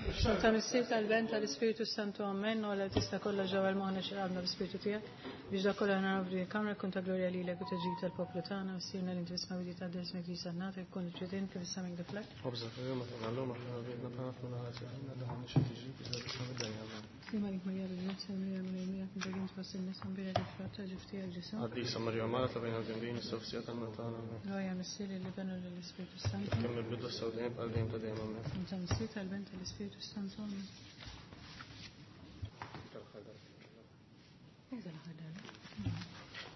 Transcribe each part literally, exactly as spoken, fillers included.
Ta' Missier tal-Ben tal-Ispiritu Santu Amen, u għalla tista kollha ġewwa l-moħna xirqabna bl-Ispiritu tiegħek biex dak kollha naraw f'din il-kamra kun ta' glorja lilek u taġib tal-poplu tagħna, missierna li inti tisma' bidi ta' ismek li sannata jkun il-ġudin kif issa minn diflek. Sima lik Marija bil-Grazzja, Marija Marija Miegħek inta kien tfass in-nisa mbira li frott ta' ġuf tiegħek Ġesù. Qaddisa Marija Mara ta' bejn għal-dembin, is-sofsija tal-Montana. Glorja Missier lil-Iben u lill-Ispiritu Santu. Kemm il-bidu s-sawdejn bħal dejjem ta' dejjem amen. Ta' Missier tal-Ben tal-Ispiritu Santu. Amen.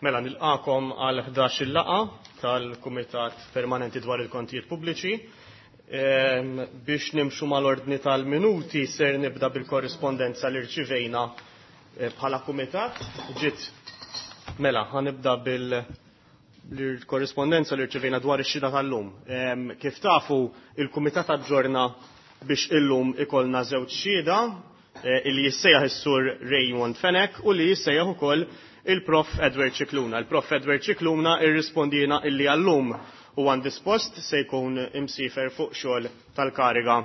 Mela nilqakom għal ħdax-il laqgħa tal-Kumitat Permanenti dwar il-Kontijiet Pubbliċi. Ehm, biex nimxu mal-ordni tal-minuti ser nibda bil-korrispondenza li rċivejna eh, bħala kumitat. Ġiet mela ħanibda bil korrispondenza li rċivejna dwar ix-xhieda tal-lum. Ehm, kif tafu il-kumitat aġġorna biex illum ikollna żewġ xhieda eh, illi jissejjaħ is-sur Raymond Fenech u li jissejjaħ ukoll il-Prof Edward Scicluna. Il-Prof Edward Scicluna irrispondina illi għallum u għandispost se jkun imsifer fuq xogħol tal-kariga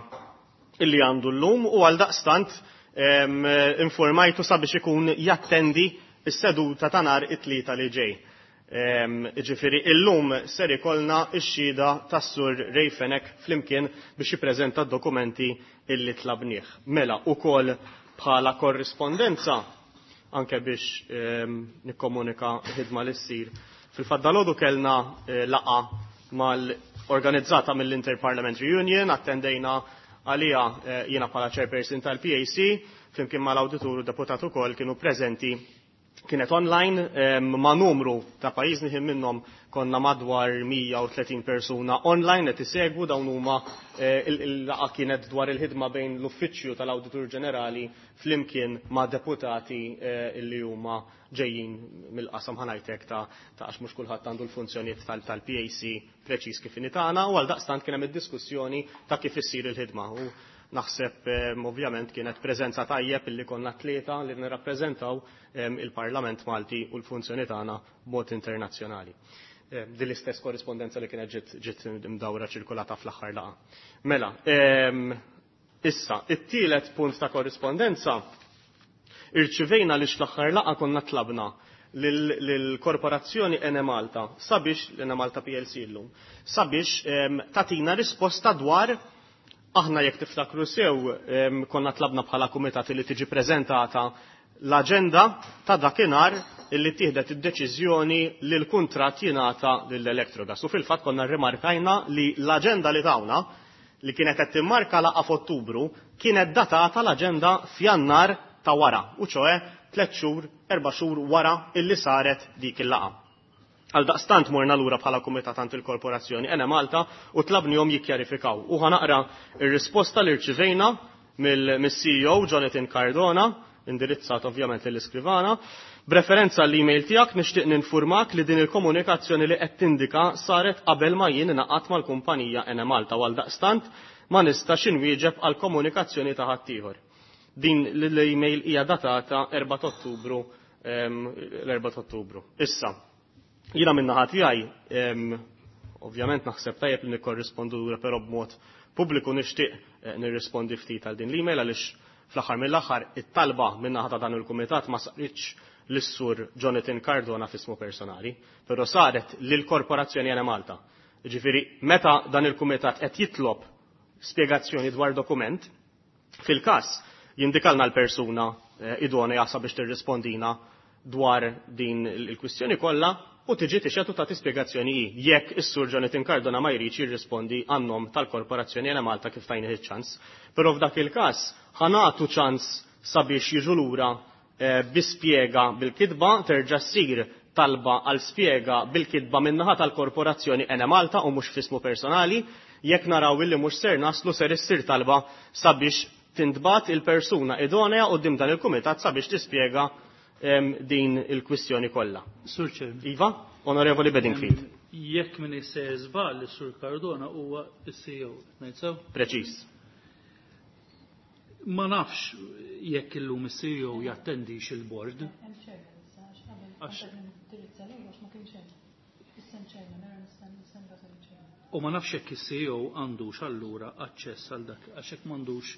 illi għandu llum u għal daqstant informajtu sabiex ikun jattendi s-seduta ta' nhar it-tlieta li ġej. Ġifieri illum ser ikollna x-xhieda tas-sur Ray Fenech flimkien biex jippreżenta d-dokumenti illi tlabnieh. Mela ukoll bħala korrispondenza anke biex nikkomunika ħidma li ssir. Fil-fatt dalgħodu kellna eh, laqgħa mal-organizzata mill-Interparliamentary Union, attendejna għalija eh, jiena bħala chairperson tal-P A C, flimkien mal-awditur u deputat ukoll kienu preżenti. Kienet online ma' numru ta' pajjiżni ħin minnhom konna madwar mija u tletin persuna online qed isegwu dawn huma, eh, il-, il-laqgħa kienet dwar il-ħidma bejn l-Uffiċċju tal-Awditur Ġenerali flimkien ma' deputati, eh, illi huma ġejjin mill-qasam ħanajtek ta', ta' għax mhux kulħadd għandu l-funzjonijiet tal-, tal-P A C preċiż kif inhi tagħna, u għaldaqstant kien hemm id-diskussjoni ta' kif issir il-ħidma. U naħseb, ehm, ovvjament kienet preżenza tajjeb illi konna tlieta li nirrappreżentaw, ehm, il-Parlament Malti u l-funzjoni tagħna b'mod internazzjonali. Ehm, din l-istess korrispondenza li kienet ġiet, ġiet mdawra ċirkolata fl-aħħar laqgħa. Mela, ehm, issa, it-tielet punt ta' korrispondenza irċivejna li fl-aħħar laqgħa konna tlabna lill-korporazzjoni Enemalta sabiex, l-Enemalta P L C illum, sabiex, ehm, tatina risposta dwar aħna jekk tiftakru sew, ehm, konna tlabna bħala kumitat li tiġi preżentata l-aġenda ta' dakinhar illi tieħdet id-deċiżjoni li l-kuntratt jingħata lill-Electrogas. U fil-fatt konna rrimarkajna li l-aġenda li tawna li kienet qed timmarka laqgħa f'Ottubru kienet datata l-aġenda f'Jannar ta' wara, u ċoe tliet xhur, erba' xhur wara illi saret dik il-laqgħa. Għal daqstant morna lura bħala kumitat għand il-korporazzjoni Enemalta u tlabnihom jikkjarifikaw. U ħanaqra ir-risposta li rċivejna mill-, mill-C E O Jonathan Cardona, indirizzat ovvjament lill-iskrivana. B'referenza għall-email tiegħek nixtieq ninfurmak li din il-komunikazzjoni li qed tindika saret qabel ma jien ingħaqadt mal-kumpanija Enemalta u għal daqstant ma nistax inwieġeb għal komunikazzjoni ta' ħaddieħor. Din l-email hija datata erba' ta' Ottubru, ehm, l-erba' ta' Ottubru. Issa, jiena min-naħa tiegħi, ehm, ovvjament naħseb tajjeb li nikkorrispondu lura però b'mod pubbliku nixtieq, eh, nirrispondi ftit għal din l-email għaliex fl-aħħar mill-aħħar it-talba min-naħa ta' dan il-kumitat ma saritx lis-sur Jonathan Cardona f'ismu personali, però saret lill-Korporazzjoni Enemalta. Ġifieri meta dan il-kumitat qed jitlob spjegazzjoni dwar dokument, fil-każ jindikalna l-persuna, eh, idonea sabiex tirrispondina dwar din il-kwistjoni kollha u tiġi tixhed u tagħti spjegazzjoni hi jekk is-sur Jonathan Cardona ma jridx jirrispondi għan-nom tal-Korporazzjoni Enemalta kif tajnih iċ-ċans. Però f'dak il-każ ħanatu ċans sabiex jiġu lura, eh, bi spjega bil-kitba, terġa' ssir talba għal spjega bil-kitba min-naħa tal-Korporazzjoni Enemalta u mhux f'ismu personali, jekk naraw illi mhux ser naslu ser issir talba sabiex tintbagħat il-persuna idonea quddiem dan il-kumitat sabiex tispjega, ehm, din il-kwistjoni kollha. Sur Chairman. Iva, Onorevoli Bedingfield. Ehm, jekk min issejjer żball, is-Sur Cardona huwa s-C E O, ngħid sew? Preċiż. Ma nafx jekk illum is-C E O jattendix il-board. Hemm chairman issa, għax qabel Għax qabel nindirizza lilu għax ma kienx hemm. Issa hemm chairman, ara nista' nista' nibgħat lill-chairman. U ma nafx jekk is-C E O għandux allura aċċess għal dak, għax jekk m'għandux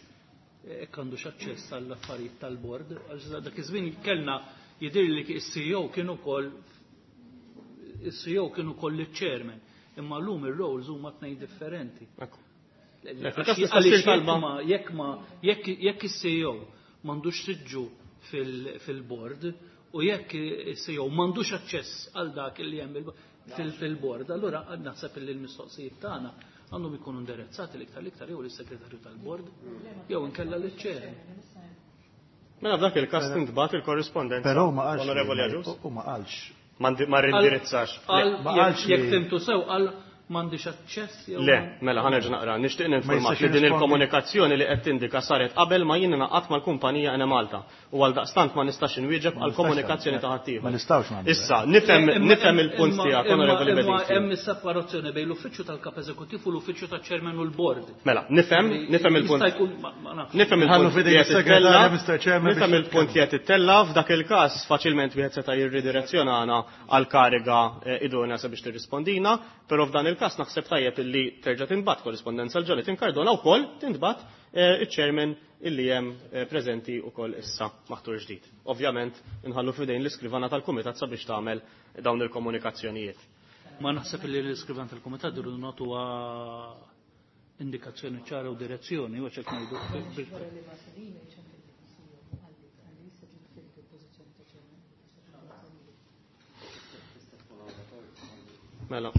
jekk għandux aċċess għall-affarijiet tal-bord, għax dak iż-żmien kellna jidher li is-C E O kien ukoll is-C E O kien ukoll iċ-chairman, imma llum ir-roles huma tnejn differenti. Jekk ma jekk is-C E O m'għandux siġġu fil-bord u jekk is-C E O m'għandux aċċess għal dak li hemm fil-bord, allura naħseb li l-mistoqsijiet tagħna għandhom ikunu indirizzati l-iktar l-iktar jew lis-segretarju tal-bord jew inkella liċ-chair. Mela f'dak il-każ tintbagħat il-korrispondenza. Però ma qalx. U ma qalx. Ma rindirizzax. Jekk fimtu sew qal m'għandix aċċess jew. Le, mela ħa nerġa' naqra. Nixtieq ninformak li din il-komunikazzjoni li qed tindika saret qabel ma jien ingħaqadt mal-kumpanija Enemalta u għaldaqstant ma nistax inwieġeb għal komunikazzjoni ta' ħaddieħor. Ma nistgħux nagħmlu. Issa, nifhem nifhem il-punt tiegħek, Onorevoli Bedingfield. Hemm is-separazzjoni bejn l-uffiċċju tal-kap eżekuttiv u l-uffiċċju taċ-chairman u l-bord. Mela, nifhem nifhem il-punt. Nifhem il-punt li qed ittella. Nifhem il-punt li qed ittella f'dak il-każ faċilment wieħed seta' jirridirezzjonana għal kariga idonea sabiex tirrispondina, però f'dan il-każ naħseb tajjeb illi terġa' tinbagħat korrispondenza għal Jonathan Cardona wkoll tintbagħat iċ-chairman illi hemm preżenti wkoll issa maħtur ġdid. Ovvjament inħallu f'idejn l-iskrivana tal-kumitat sabiex tagħmel dawn il-komunikazzjonijiet. Ma naħseb li l-iskrivan tal-kumitat irridu nagħtuha indikazzjoni ċara u direzzjoni u hekk ngħidu. Mela.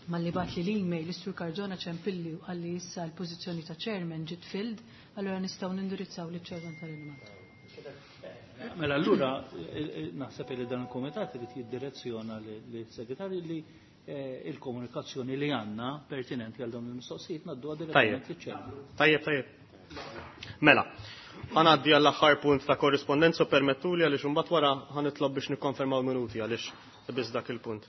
Malli bat li l-email is-Sur Cardona ċempilli u qalli issa l-pożizzjoni ta' chairman ġiet filled, allura nistgħu nindirizzaw liċ chairman tal-Enemalta. Mela allura naħseb li dan il-kumitat irid jiddirezzjona lis-segretarju li il-komunikazzjoni li għandna pertinenti għal dawn il-mistoqsijiet ngħadduha direttament liċ-chairman. Tajjeb, tajjeb. Mela, ħanaddi għall-aħħar punt ta' korrispondenza permettuli għaliex imbagħad wara ħanitlob biex nikkonfermaw minuti għaliex biss dak il-punt.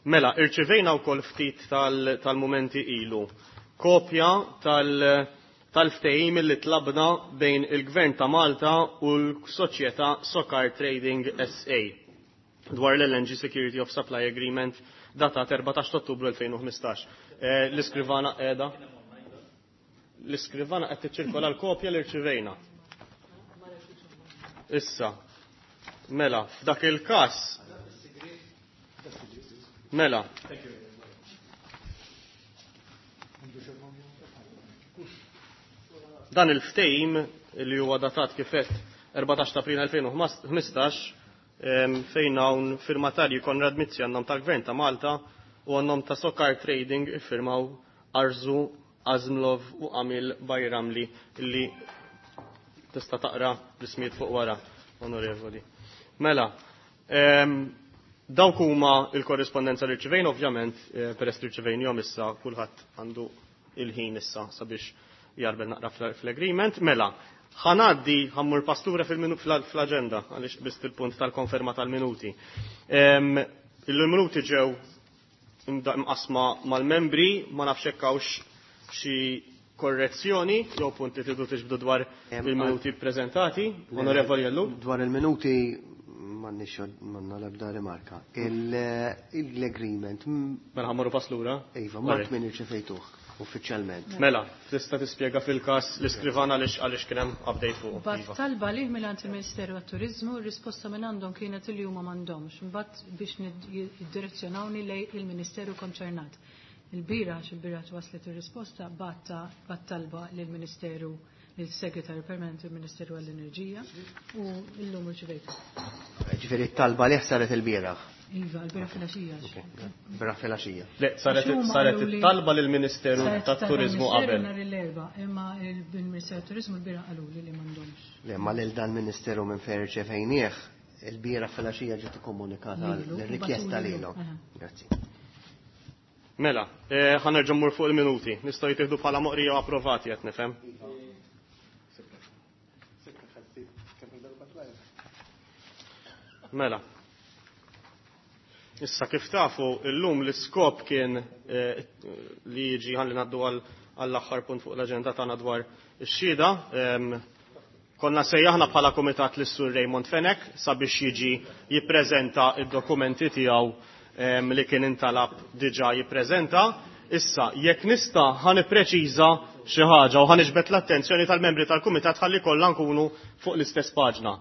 Mela, irċivejna wkoll ftit tal-mumenti ilu kopja tal-ftehim li tlabna bejn il-Gvern ta' Malta u l-Soċjetà Sokar Trading S A dwar l-L N G Security of Supply Agreement datat erbatax ta' Ottubru elfejn u ħmistax. L-iskrivana qiegħda. L-iskrivana qed tiċċirkola l-kopja li rċivejna. Issa, mela, f'dak il-każ Mela. Dan il-ftehim li huwa datat kif qed erbatax ta' April elfejn u ħmistax fejn hawn firmatarji Konrad Mizzi għan-nom tal-Gvern ta' Malta u għan-nom ta' Sokar Trading iffirmaw Arzu Azmlov u Amil Bajramli li tista' taqra l-ismijiet fuq wara, onorevoli. Mela, dawk huma l-korrispondenza li rċivejn, ovvjament, peress li rċivejnihom issa kulħadd għandu il-ħin issa sabiex jarbel naqra fl-agreement. Mela, ħanaddi ħammur pastura fl-aġenda għaliex biss il-punt tal-konferma tal-minuti. Il-minuti ġew imqasma mal-membri, ma nafx hekk hawnx xi korrezzjoni jew punt li tridu tiġbdu dwar il-minuti ppreżentati. Onorevoli Ellul. Dwar il-minuti m'għandniex m'għandna l-ebda rimarka. Il-agreement. Mela ħammorru pass lura? Iva, mart min irċevejtuh uffiċjalment. Mela, tista' tispjega fil-każ l-iskrivana għaliex għaliex kien hemm update fuq. Bat talba lih mingħand il-Ministeru għat-Turiżmu, r-risposta minn għandhom kienet li huma m'għandhomx. Imbagħad biex jiddirezzjonawni lejn il-Ministeru konċernat. Il-bira, għax il-bira waslet ir-risposta, bat talba lill-Ministeru il-Segretarju Permanenti il-Ministeru għall-Enerġija u llum irċivejtu. Ġifieri t-talba li saret il-bieraħ. Iva, l-bieraħ filgħaxija. Bieraħ filgħaxija. Le, saret saret it-talba lill-Ministeru tat-Turiżmu qabel. Nhar l-Erbgħa, imma il-Ministeru tat-Turiżmu l-bieraħ qaluli li m'għandhomx. Le, ma lil dan Ministeru minn fejn irċevejnieh, il-bieraħ filgħaxija ġiet ikkomunikata l-rikjesta lilu. Grazzi. Mela, ħa nerġa' mmur fuq il-minuti. Nistgħu jittieħdu bħala moqrija u approvati qed nifhem. Mela. Issa kif tafu illum l-iskop kien li jiġi ħalli ngħaddu għall-aħħar punt fuq l-aġenda tagħna dwar ix-xhieda. Konna sejjaħna bħala kumitat lis Sur Raymond Fenech sabiex jiġi jippreżenta id-dokumenti tiegħu li kien intalab diġà jippreżenta. Issa, jekk nista' ħa nippreċiża xi ħaġa u ħa niġbed l-attenzjoni tal-membri tal-kumitat ħalli kollha nkunu fuq l-istess paġna.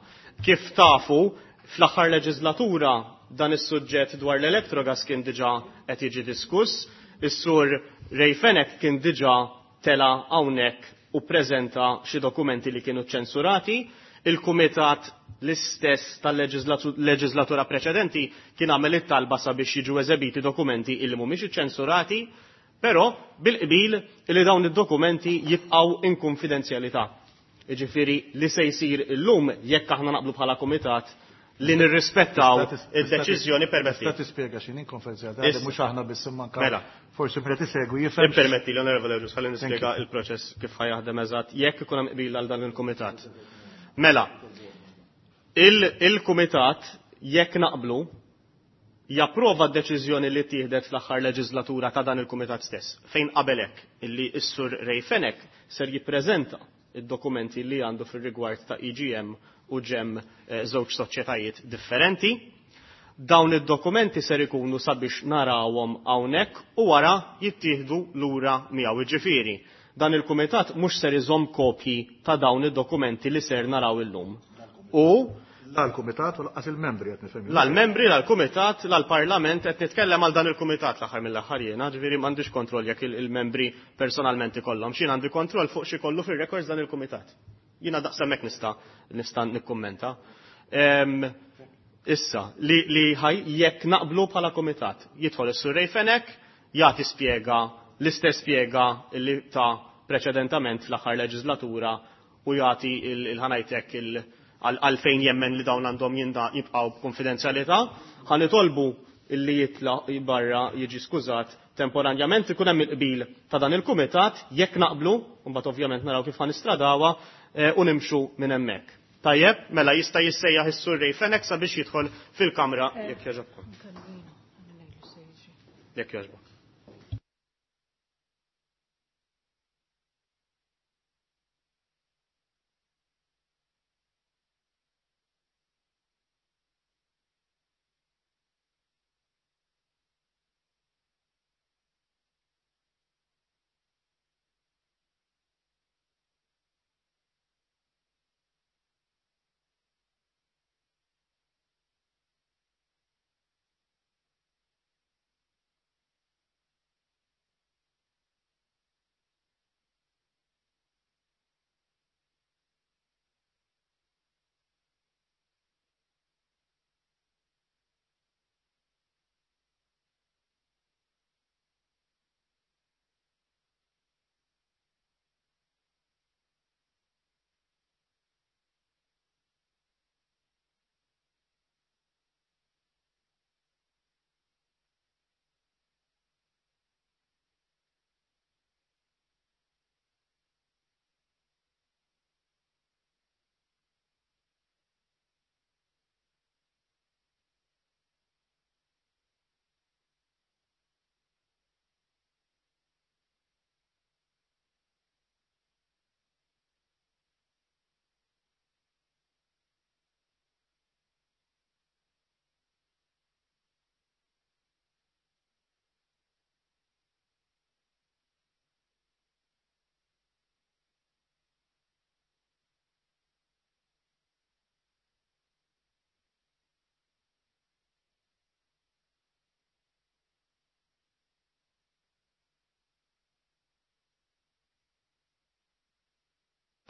Kif tafu, fl-aħħar leġislatura dan is-suġġett dwar l-Electrogas kien diġà qed jiġi diskuss, is-sur Ray Fenech kien diġà tela hawnhekk u preżenta xi dokumenti li kienu ċensurati, il-kumitat l-istess tal-leġislatura preċedenti kien għamel it-talba sabiex jiġu eżebiti dokumenti illi mhumiex iċċensurati, però bil-qbil li dawn id-dokumenti jibqgħu in konfidenzjalità. Jiġifieri li se jsir illum jekk aħna naqblu bħala kumitat li nirrispettaw id-deċiżjoni permetti. Tista' tispjega x'inhi konfidenzjalità mhux aħna biss imma Mela. Forsi meta tisegwi jifhem. Ippermetti li Onorevole Agius ħalli nispjega il-proċess kif ħajaħdem eżatt jekk ikun hemm qbil għal dan il-kumitat. Mela, il-kumitat jekk naqblu japprova d-deċiżjoni li tieħdet fl-aħħar leġislatura ta' dan il-kumitat stess, fejn qabel hekk illi s-sur Ray Fenech ser jippreżenta id-dokumenti li għandu fir-rigward ta' E G M u ġem żewġ soċjetajiet differenti. Dawn id-dokumenti ser ikunu sabiex narawhom hawnhekk u wara jittieħdu lura miegħu. Jiġifieri, dan il-kumitat mhux ser iżomm kopji ta' dawn id-dokumenti li ser naraw illum. U La l-kumitat u lanqas il-membri qed nifhem. La l-membri, la l-kumitat, la l-parlament qed nitkellem għal dan il-kumitat l-aħħar mill-aħħar jiena, ġifieri m'għandix kontroll jekk il-membri personalment ikollhom. X'jien għandi kontroll fuq xi kollu fir-records dan il-kumitat. Jiena daqshekk nista' nista' nikkummenta. Ehm, issa, li, li ħaj jekk naqblu bħala kumitat, jidħol is-Sur Ray Fenech, jagħti spjega l-istess spjega li ta' preċedentament fl-aħħar leġislatura u jagħti il-ħanajtek il għalfejn jemmen li dawn għandhom jinda jibqgħu b'konfidenzjalità, ħa nitolbu illi jitla barra jiġi skużat temporanjament ikun hemm il-qbil ta' dan il-kumitat jekk naqblu, u mbagħad ovvjament naraw kif ħanistradawha, eh, u nimxu minn hemmhekk. Tajjeb, mela jista' jissejjaħ is-Sur Ray Fenech sabiex jidħol fil-kamra jekk jogħġobkom. Jekk jogħġbok.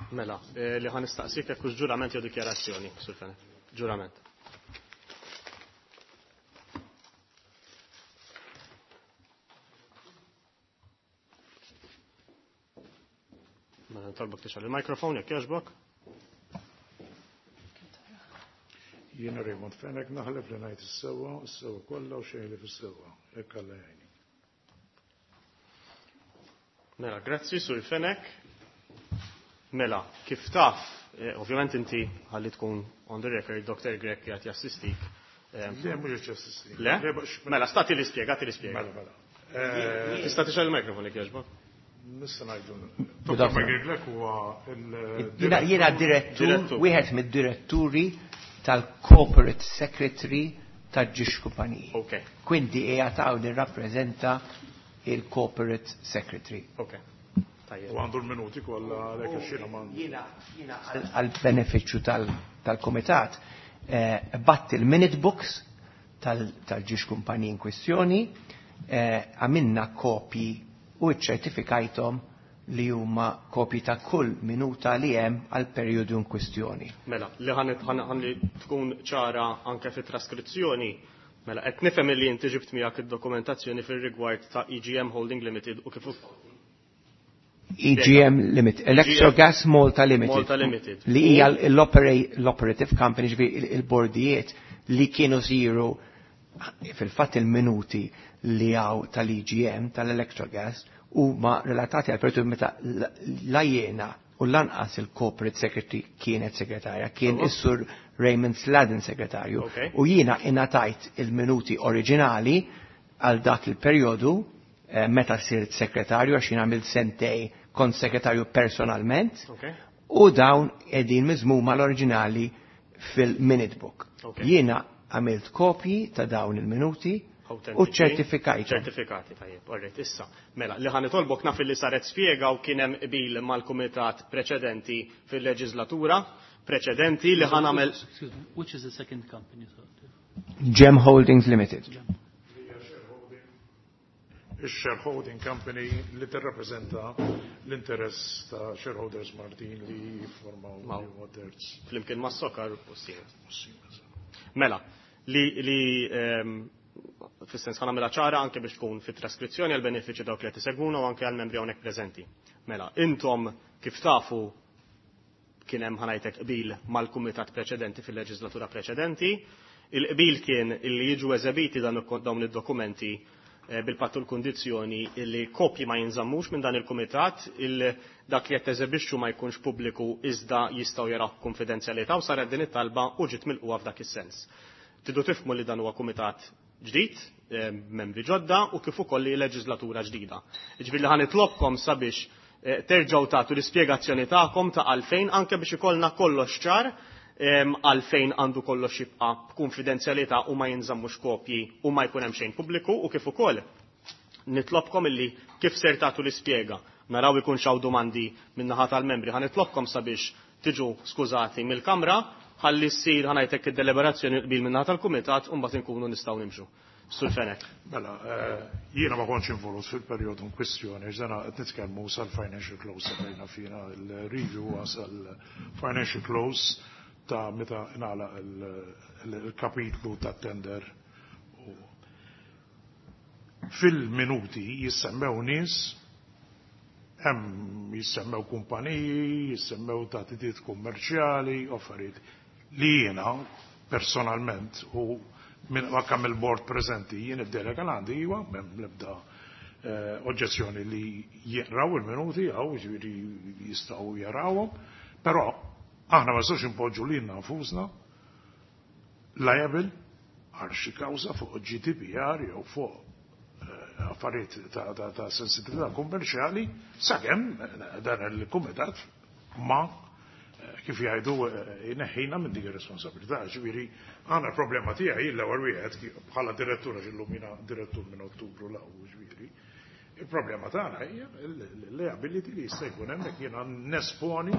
Mela, eh, li ħan nistaqsik jekk hux ġurament jew dikjarazzjoni, Sur Fenech. Ġurament. Mela, nitolbok tixgħal il-mikrofon jekk jogħġbok. Jiena Raymond Fenech naħlef li ngħid is-sewwa, is-sewwa kollha u xejn li fis-sewwa. Hekk Alla jgħinni. Mela, grazzi Sur Fenech. Mela, kif taf, eh, ovvjament inti ħalli tkun on the record, Doktor Grech qiegħed jassistik. Eh, Le, mhux qed jassistik. Le? Le, biex- Mela, stati li spjega, ti li spjega. Mela, mela. Eh, Tista' tixgħel il-mikrofon jekk jogħġbok? Nista' ngħidu. Doktor Michael Grech huwa il- Jiena, jiena direttur, Direttur. wieħed mid-diretturi tal-Corporate Secretary ta' ġiex kumpaniji. Ok. Quindi qiegħed hawn nirrappreżenta il-Corporate Secretary. Ok. Tajjeb. U għandu l-minuti kollha għalhekk għax jiena ma Jiena jiena għal-benefiċċju tal-komitat eh, bgħatt il-minute books tal-żewġ kumpaniji in kwestjoni, eh, għamilna kopji u ċertifikajthom li huma kopji ta' kull minuta li hemm għal perjodu in kwestjoni. Mela, li ħan ħan li tkun ċara anke fit-traskrizzjoni, mela qed nifhem li inti ġibt miegħek id-dokumentazzjoni fir-rigward ta' E G M Holding Limited u kif E G M Limited, Electrogas Malta Limited. Malta Limited. Li hija l-operative company, ġifieri il-bordijiet li kienu siru fil-fatt il-minuti li għaw tal-E G M, tal-Electrogas, huma relatati għal periodu meta la jiena u lanqas il-Corporate Secretary kienet segretarja, kien is-Sur Raymond Sladden segretarju. Okay. U jiena ingħatajt il-minuti oriġinali għal dak il-periodu eh, meta sirt segretarju, għax jien għamilt sentejn kont segretarju personalment, Okay. u dawn qegħdin miżmuma l-oriġinali fil-minute book. Okay. Jiena għamilt kopji ta' dawn il-minuti u ċertifikajt. Ċertifikati, tajjeb, alright, issa. Mela, li ħa nitolbok, naf li saret spjega u kien hemm qbil mal-kumitat preċedenti fil-leġislatura preċedenti li ħa nagħmel Excuse me, which is the second company? Sir? Gem Holdings Limited. Il-shareholding company li tirrappreżenta l-interess ta' shareholders Maltin li jiffurmaw Maw. li huwa terz. Flimkien ma' Sokar u Siemens. Mela, li, li um, fis-sens ħa nagħmilha ċara anke biex tkun fit-traskrizzjoni għal benefiċċju dawk li qed isegwuna u anke għal membri hawnhekk preżenti. Mela, intom kif tafu kien hemm, ħa ngħidlek, qbil mal-kumitat preċedenti fil-leġislatura preċedenti. Il-qbil kien illi jiġu eżebiti dan dawn id-dokumenti eh, bil-pattu l-kondizzjoni illi kopji ma jinżammux minn dan il-kumitat, il dak li qed teżebixxu ma jkunx pubbliku iżda jistgħu jaraw konfidenzjalità, u saret din it-talba u ġiet milquha f'dak is-sens. Tridu tifhmu li dan huwa kumitat ġdid, eh, membri ġodda u kif ukoll li leġislatura ġdida. Ġifieri li ħa nitlobkom sabiex eh, terġgħu tagħtu l-ispjegazzjoni tagħkom ta' għalfejn, anke biex ikollna kollox ċar em, għalfejn għandu kollox jibqa' b'konfidenzjalità u ma jinżammux kopji u ma jkun hemm xejn pubbliku, u kif ukoll nitlobkom illi kif ser tagħtu l-ispjega naraw ikun xaw domandi min-naħa tal-membri, ħa nitlobkom sabiex tiġu skużati mill-kamra ħalli ssir, ħa ngħidlek, id-deliberazzjoni qbil min-naħa tal-kumitat u mbagħad inkunu nistgħu nimxu. Sur Fenech. Mela, eh, jiena ma kontx involut fil-perjodu in kwestjoni, għax dana qed nitkellmu sal-financial close bejna fina il-review sal-financial close ta' meta ingħalaq il-kapitlu ta' tender. U fil-minuti jissemmew nies, hemm jissemmew kumpaniji, jissemmew taħditiet kummerċjali, affarijiet li jiena personalment u minn ma kemm il-board preżenti jien id-delega l għandi iwa m'hemm l-ebda eh, oġġezzjoni li jaqraw il-minuti għaw, ġifieri jistgħu jarawhom, però aħna ma nistgħux impoġġu lilna nfusna liable għal xi kawża fuq G D P R jew fuq eh, affarijiet ta', ta, ta sensitività kummerċjali sakemm eh, dan il-kumitat ma eh, kif jgħidu jneħħina minn dik ir-responsabilità. Ġifieri għandna problema tiegħi l-ewwel wieħed bħala direttur, għax illum jiena direttur minn Ottubru 'l hawn, ġifieri. Il-problema tagħna hija l-liability li jista' jkun hemm jekk jiena nesponi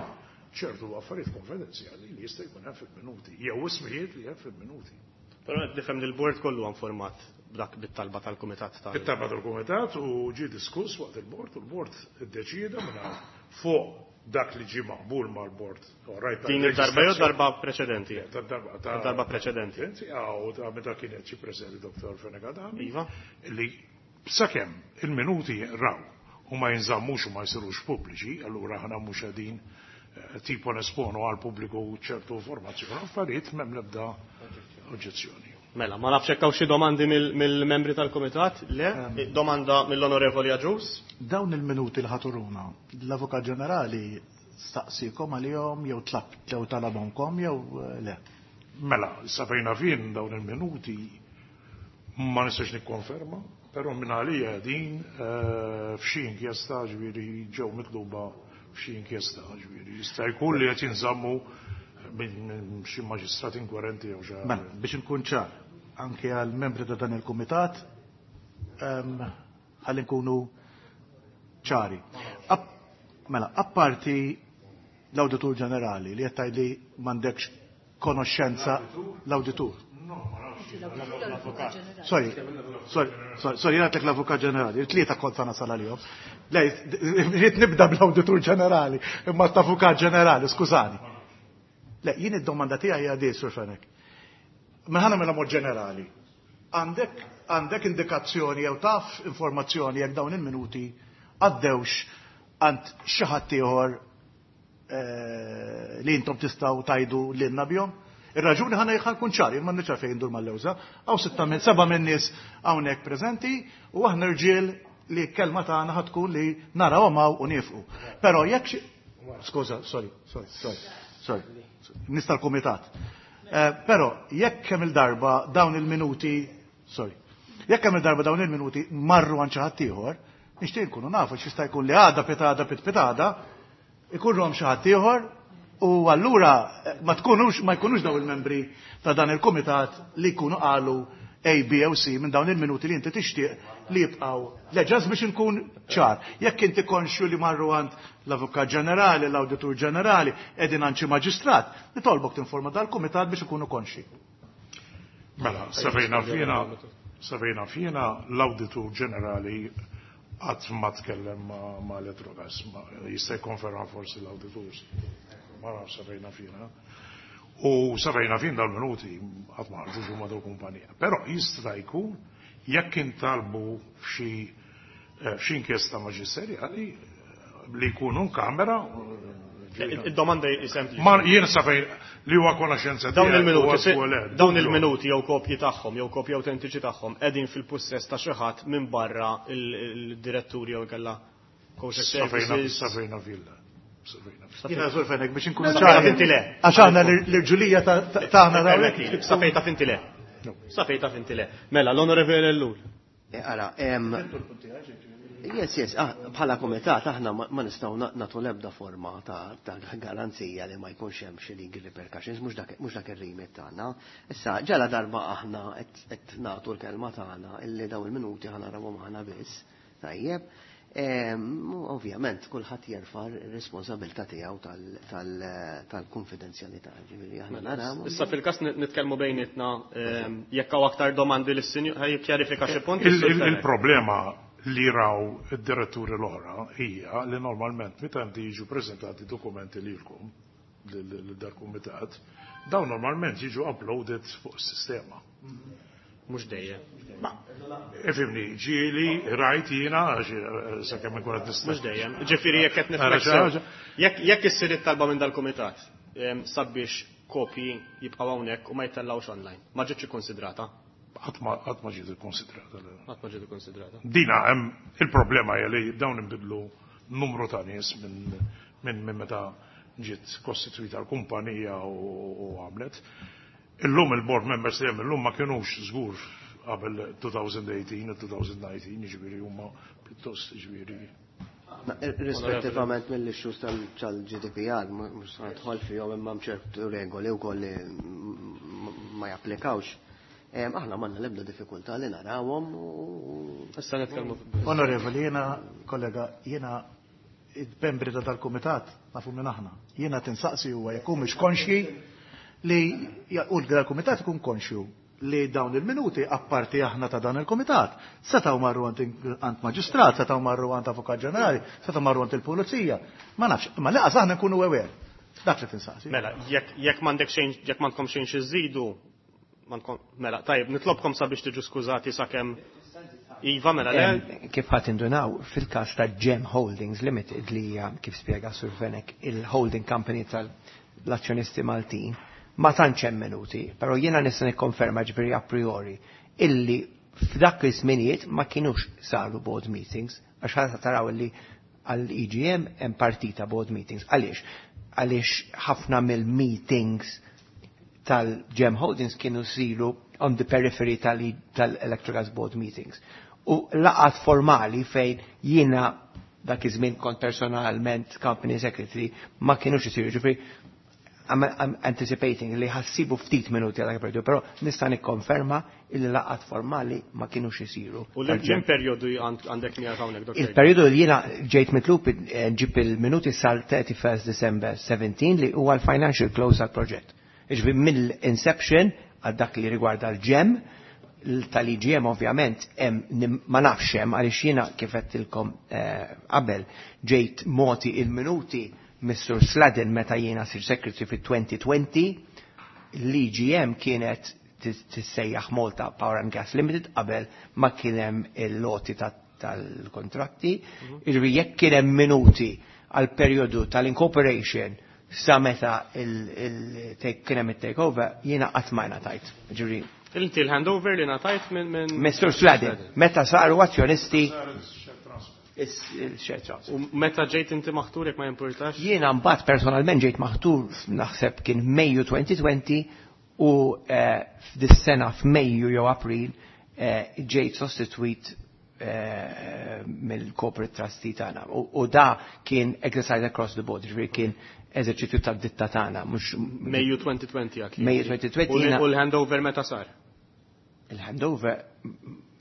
ċertu affarijiet konfidenzjali li jista' jkun hemm fil-minuti, jew ismijiet li hemm fil-minuti. Però qed nifhem li l-bord kollu informat b'dak bit-talba tal-kumitat tal. It-talba tal-kumitat u ġie diskuss waqt il-bord u l-bord iddeċieda minn fuq dak li ġie maqbul mal-bord. Din id-darba jew darba preċedenti? Darba Darba preċedenti. Għaw, ta' meta kienet xi preżenti Doktor Fenech Adami. Iva. Li sakemm il-minuti raw u ma jinżammux u ma jsirux pubbliċi, allura aħna mhux qegħdin eh, tipo nesponu għal pubbliku ċertu informazzjoni, affarijiet, m'hemm l-ebda oġġezzjoni. Mela, ma nafx hekk hawn xi domandi mill-membri tal-kumitat? Le? Domanda mill-Onorevoli Agius? Dawn il-minuti li ħa turuna, l-Avukat Ġenerali staqsikom għalihom jew tlab jew talabhomkom jew eh, le? Mela, sa fejna fin dawn il-minuti ma nistax nikkonferma, però minn għalija din eh, f'xi inkjesta, ġifieri ġew mitluba f'xi inkjesta, ġifieri jista' jkun li qed jinżammu minn xi maġistrat inkwerenti jew xi. Mela, biex nkun ċar, anke għal membri ta' dan il-kumitat, em, Ħalli nkunu ċari. Mela, apparti l-Awditur Ġenerali li qed tgħidli m'għandekx konoxxenza l-Awditur. Sorry, sorry, sorry, jien għedtlek l-Avukat Ġenerali, il-tlieta kont sa nasal għalihom. Le, rrid nibda bl-Awditur Ġenerali, imma l-Avukat Ġenerali, skużani. Le, jien id-domanda tiegħi hija di, Sur Fenech. Mela mela mod ġenerali. Għandek għandek indikazzjoni jew taf informazzjoni jekk dawn il-minuti għaddewx għand xi ħadd ieħor li intom tistgħu tgħidu lilna bihom? Ir-raġuni ħana ħa nkun ċar, jien ma nix fejn ndur mal-lewża, hawn sitta minn seba' minn nies hawnhekk preżenti u aħna rġiel li kelma tagħna ħa tkun li narawhom hawn u niefqu. Però jekk xi Skuża, sorry, sorry, sorry, sorry. Nista l-kumitat. Però jekk kemm il-darba dawn il-minuti, sorry, jekk kemm il-darba dawn il-minuti marru għand xi ħadd ieħor, nixtieq nkunu nafu x'jista' jkun li għada pitada pit pitada, ikunhom xi ħadd ieħor u allura ma tkunux ma jkunux daw il-membri ta' dan il-kumitat li jkunu qalu A, B u C minn dawn il-minuti li inti tixtieq li jibqgħu. Le, just biex nkun ċar. Jekk inti konxju li marru għand l-Avukat Ġenerali, l-Awditur Ġenerali, qegħdin għand xi maġistrat, nitolbok tinforma dal-kumitat biex ikunu konxi. Mela, sa fejn naf jiena, sa fejn naf jiena l-Awditur Ġenerali qatt ma tkellem ma' Electrogas, jista' jikkonferma forsi l-awditur. Ma nafx sa fejn naf jiena. U sa fejn naf jien dal-minuti qatt ma ħarġux huma dal-kumpanija. Però jista' jkun jekk intalbu f'xi f'xi inkjesta maġisterjali li jkunu kamera. Id-domanda hi sempliċi. Ma jien sa fejn li huwa konoxenza Dawn il-minuti, dawn il-minuti jew kopji tagħhom jew kopji autentiċi tagħhom qegħdin fil-pussess ta' xi ħadd minn barra il-diretturi jew inkella services. Sa fejn naf jien. Jiena Sur Fenech biex inkunu ċari. ċari. Inti le. Għax aħna l-irġulija tagħna hawnhekk. Sa fejn taf inti le. Sa fejn taf inti le. Mela, l-Onorevole Ellul. Ara, yes, yes, ah, bħala komitat aħna ma nistgħu nagħtu l-ebda forma ta' garanzija li ma jkunx hemm xi legal repercussions, mhux dak ir-remit tagħna. Issa ġala darba aħna qed nagħtu l-kelma tagħna illi daw il-minuti ħa narawhom aħna biss. Tajjeb. Ovvjament kulħadd jerfa' r-responsabilità tiegħu tal-konfidenzjalità, ġifieri aħna naraw. Issa fil-każ nitkellmu bejnietna jekk hawn aktar domandi lis-sinjur ħaj jikkjarifika xi punt. Il-problema li raw id-diretturi l-oħra hija li normalment meta inti jiġu preżentati dokumenti lilkom lil-dal-kumitat, dawn normalment jiġu uploaded fuq is-sistema. Mhux dejjem. Ma, ifhimni, ġieli rajt jiena, sakemm inkun qed nista'. Mhux dejjem. Ġifieri jekk qed niflexxew. Jekk jekk issir it-talba minn dal-kumitat sabiex kopji jibqgħu hawnhekk u ma jittellgħux online, ma ġietx ikkonsidrata? Qatt ma qatt ma ġiet ikkonsidrata. Qatt ma ġiet ikkonsidrata. Dina hemm il-problema hija li dawn inbidlu numru ta' nies minn minn minn meta ġiet kostitwita l-kumpanija u għamlet. Illum il-board members li hemm illum ma kinux żgur qabel twenty eighteen u twenty nineteen, jiġifieri huma pjuttost jiġifieri. Rispettivament mill-issues tal-G D P R, mhux se nidħol fihom imma ċertu regoli wkoll li ma japplikawx. Aħna m'għandna l-ebda diffikultà li narawhom u Issa nitkellmu. Onorevoli, jiena kollega, jiena il-membri ta' dal-kumitat nafu minn aħna. Jiena tinsaqsi huwa jekk mhux konxji li u l-kumitat ikun konxju li dawn il-minuti apparti aħna ta' dan il-komitat. Setgħu marru għand maġistrat, setgħu marru għand avukat ġenerali, setgħu marru għand il-pulizija. Ma nafx, ma laqas aħna nkunu aware. Dak li tinsaqsi. Mela, jekk jekk m'għandek xejn, jekk m'għandkom xejn xi żidu, mela, tajjeb, nitlobkom sabiex tiġu skużati sakemm Iva, mela le. Kif ħadd indunaw fil-każ ta' Gem Holdings Limited li hija, kif spjega Sur Fenech, il-holding company tal-azzjonisti Maltin, ma tantx hemm minuti, però jiena nista' nikkonferma ġifieri a priori illi f'dak iż-żminijiet ma kinux saru board meetings, għax ħadd taraw illi għall-E G M hemm partita board meetings. Għaliex? Għaliex ħafna mill-meetings tal-Gem Holdings kienu siru on the periphery tal-Electrogas board meetings. U laqgħat formali fejn jiena dak iż-żmien kont personalment company secretary ma kienux isiru, ġifieri I'm, I'm anticipating li ħa ssibu ftit minuti għal periodu, però nista' nikkonferma illi laqgħat formali ma kienux isiru. U l-ġim periodu għandek miegħek hawnhekk, Doktor? Il-periodu li jiena ġejt mitlub eh, ġib il-minuti sal thirty-first December seventeen li huwa l-financial close għal proġett. Iġbi mill-inception għal dak li rigwarda l-ġem, tal-I G M ovvjament ma nafx hemm għaliex jiena kif għedtilkom eh, qabel ġejt moti il-minuti Mister Sladden meta jiena sir secretary fit twenty twenty, l-I G M kienet tissejjaħ Malta Power and Gas Limited qabel ma kien hemm il-loti tal-kontratti. Jiġifieri jekk kien hemm minuti għal perjodu tal-incorporation sa meta kien hemm it-takeover, jiena qatt ma ngħatajt. Jiġifieri Inti l-handover li ngħatajt minn Mister Sladden, meta saru azzjonisti il-share transfer. U meta ġejt inti maħtur jekk ma jimpurtax? Jiena mbagħad personalment ġejt maħtur naħseb kien Mejju twenty twenty u, eh, f'dis-sena f'Mejju jew April, eh, ġejt sostitwit, eh, mill-corporate trustee tagħna. U, u da kien exercise across the board, ġifieri kien eżerċizzju tad-ditta tagħna, mhux Mejju twenty twenty għak. Mejju twenty twenty U l- jiena u l-handover meta sar? Il-handover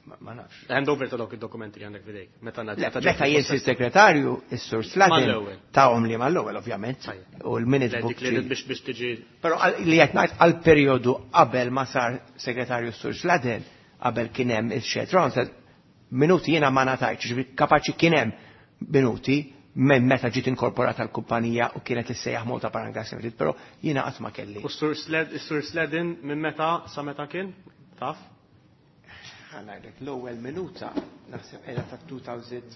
ma nafx. Handover ta' dawk id-dokumenti li għandek f'idejk. Meta ngħaddi, Le, meta meta ġejt jien fil-possess. segretarju, is-Sur Sladden Mal-ewwel. tahom li mal-ewwel ovvjament. Tajjeb. U l-minute Le, book dik li ġi- biex, biex tiġi. Però għal-, li qed ngħid għal-perjodu qabel ma sar segretarju s-Sur Sladden, qabel kien hemm il-share transfer, minuti jiena ma ngħatajtx, ġifieri kapaċi kien hemm minuti minn meta ġiet inkorporata l-kumpanija u kienet issejjaħ Malta Power and Gas Limited, però jiena qatt ma kelli. U s-Sur Sled-, s-Sur Sladden minn meta sa meta kien? Taf? Ħanajdlek l-ewwel minuta naħseb qiegħda ta' two thousand.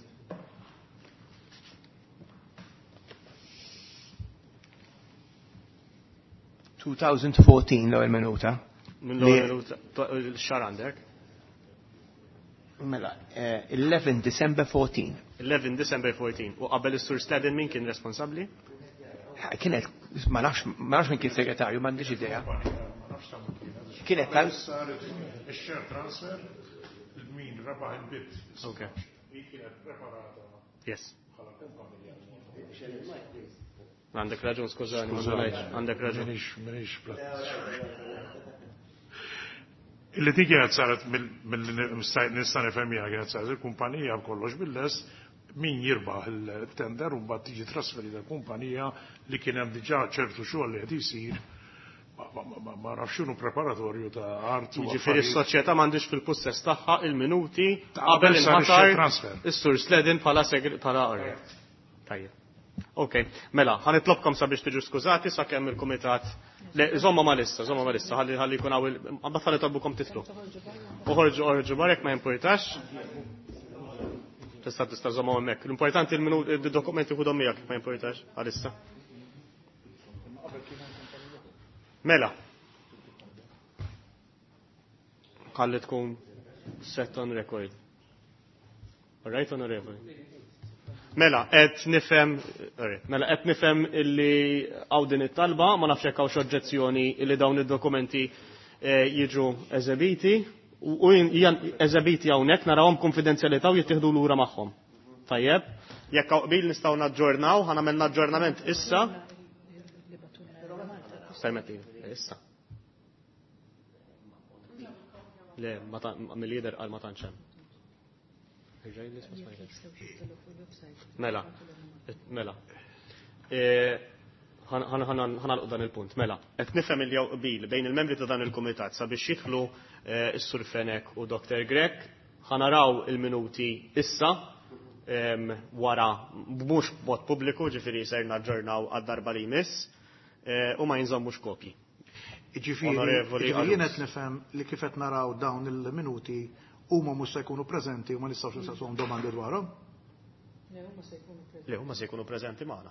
two thousand fourteen l-ewwel minuta. Minn l-ewwel Li- minuta, to-, il-xahar għandek? Mela, eh, eleven December fourteen. eleven December fourteen. U qabel is-Sur Sladden min kien responsabbli? Kienet, ma nafx, ma nafx min kien segretarju, m'għandix idea. Kienet tal- Ix-share transfer, min rebaħ il-bid. Ok. Hi kienet preparata Yes. bħala kumpanija. Għandek raġun, skużani, ma ngħidx, għandek raġun. Minix, minix plat. Illi dik kienet saret mill-nista nifhem jiena kienet saret il-kumpanija b'kollox bil-lest min jirbaħ il-tender u mbagħad tiġi trasferita l-kumpanija li kien hemm diġà ċertu xogħol li qed isir. Ma, ma, ma, ma, ma nafx x'inhu preparatorju ta' art u Jiġifieri affarijiet. s-soċjetà m'għandix fil-pussess tagħha il-minuti Ta' qabel qabel sar inħatar ix-share transfer. is-Sur Sladden bħala segre-, bħala orrett. Tajjeb. Ok, mela, ħanitlobkom sabiex tiġu skużati sakemm il-kumitat. Le, żomma ma lissa, żomma ma lissa, ħalli, ħalli jkun hawn il-, mbagħad ħalli tolbukom titlu. Uħorġu, uħorġu barek ma jimpurtax. Tista' tista' żomma hemmhekk. L-importanti il-minu-, id-dokumenti ħudhom miegħek ma jimpurtax għalissa. Mela. Ħalli tkun set on record. All right, onorevoli. Mela, qed nifhem, alright, mela qed nifhem illi hawn din it-talba, ma nafx jekk hawnx oġġezzjoni illi dawn id-dokumenti, eh, jiġu eżebiti u, u hija eżebiti hawnhekk narawhom konfidenzjalità u jittieħdu lura magħhom. Tajjeb, jekk hawn qbil nistgħu naġġornaw, ħa nagħmel naġġornament issa. Permetti, issa. Le, ma ta-, mill-lider qal ma tantx hemm. Mela, mela. E, ħan, ħan, ħan, ħanalqu dan il-punt. Mela, qed nifhem il jew qbil bejn il-membri ta' dan il-kumitat sabiex jidħlu, e, s-Sur Fenech u Doktor Grech, ħanaraw il-minuti issa, em, wara mhux b'mod pubbliku, ġifieri ser naġġornaw għad-darba li jmiss, e, u ma jinżommux kopji. Ġifieri, Onorevoli ġifieri jien Arus. qed nifhem li kif qed naraw dawn il-minuti huma mhux se jkunu preżenti u ma nistgħux nistaqsuhom domandi dwarhom? Le, huma se jkunu preżenti. Le, huma se jkunu preżenti magħna.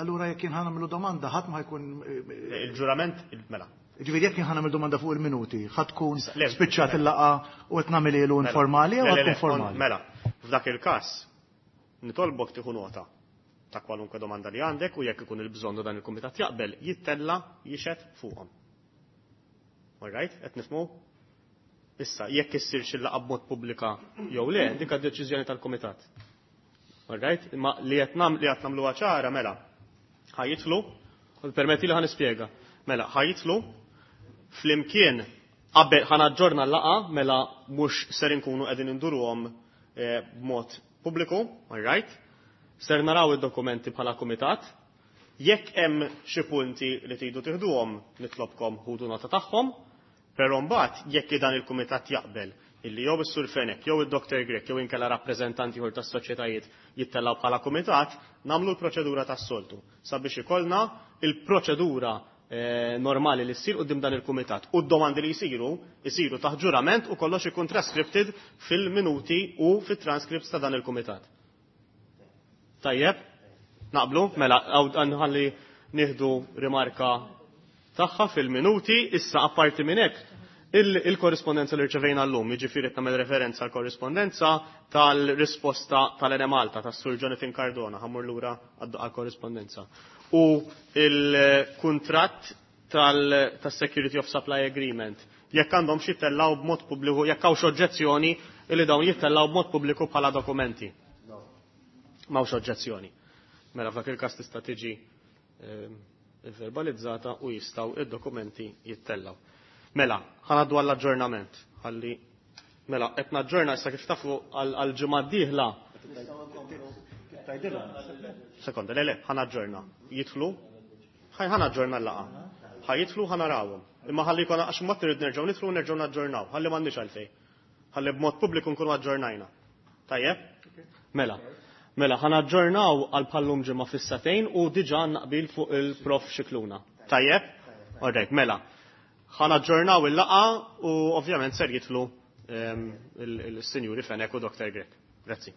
Allura jekk jien ħanamlu domanda ħadd ma jkun, eh, Le, il-ġurament, il-, mela. Ġifieri jekk jien ħanamlu domanda fuq il-minuti, ħadd tkun Le, spiċċat il-laqgħa u qed nagħmel ilu Mela. informali jew Le, le, ħadd tkun le, formali? Mela, f'dak il-każ nitolbok tieħu nota ta' kwalunkwe domanda li għandek u jekk ikun il-bżonn dan il-kumitat jaqbel jittella jixed fuqhom. All right, qed nifhmu? Issa, jekk issir xi laqgħa b'mod pubblika jew le, dik deċiżjoni tal-kumitat. All right, imma li qed nam-, li qed nagħmluha ċara mela ħajjitlu Permetti li ħa nispjega. Mela, ħa jitilgħu flimkien qabel ħa naġġorna l-laqgħa, mela mhux ser inkunu qegħdin induruhom eh, b'mod pubbliku, all right? Ser naraw id-dokumenti bħala kumitat. Jekk hemm xi punti li tridu tiħduhom, nitlobkom ħudu nota tagħhom, però mbagħad jekk dan il-kumitat jaqbel illi jew is-Sur Fenech, jew id-Doctor Grech, jew inkella rappreżentanti ieħor tas-soċjetajiet jittellgħu bħala kumitat, nagħmlu l-proċedura tas-soltu sabiex ikollna il-proċedura eh, normali li ssir quddiem dan il-kumitat. U d-domandi li jsiru, jsiru taħt ġurament u kollox ikun transcripted fil-minuti u fit-transcripts ta' dan il-kumitat. Tajjeb? Naqblu? Mela, nħalli nieħdu rimarka tagħha fil-minuti, issa apparti minn hekk il-korrispondenza li rċevejna llum, jiġifieri qed nagħmel referenza għal korrispondenza tal-risposta tal-Enemalta tas-Sur Jonathan Cardona, ħa mmur lura għal-korrispondenza. U il-kuntratt tal-Security of Supply Agreement, jekk għandhom xi jittellgħu b'mod pubbliku, jekk hawn oġġezzjoni li dawn jittellgħu b'mod pubbliku bħala dokumenti. M'hawnx oġġezzjoni. Mela f'dak il-każ tista' tiġi ehm, verbalizzata u jistgħu id-dokumenti jittellgħu. Mela, ħa ngħaddu għall-aġġornament. Ħalli mela, qed naġġorna issa kif tafu għal-ġimgħa d-dieħla. Sekonda, le le, ħa naġġorna. Jidħlu? Ħaj ħa naġġorna l-laqgħa. Ħa jidħlu, ħa narawhom. Imma ħalli jkun għax mbagħad irid nerġgħu nidħlu u nerġgħu naġġornaw. Ħalli m'għandniex għalfejn. Ħalli b'mod pubbliku nkunu aġġornajna. Tajjeb? Mela. Mela, ħa naġġornaw għal bħal-lum ġimgħa fis-sagħtejn u diġà naqbil fuq il-Prof Scicluna. Tajjeb? Alright, mela. Ħa naġġornaw il-laqgħa u ovvjament ser jitilgħu ehm, il-Sinjuri Fenech u Doctor Grech. Grazzi.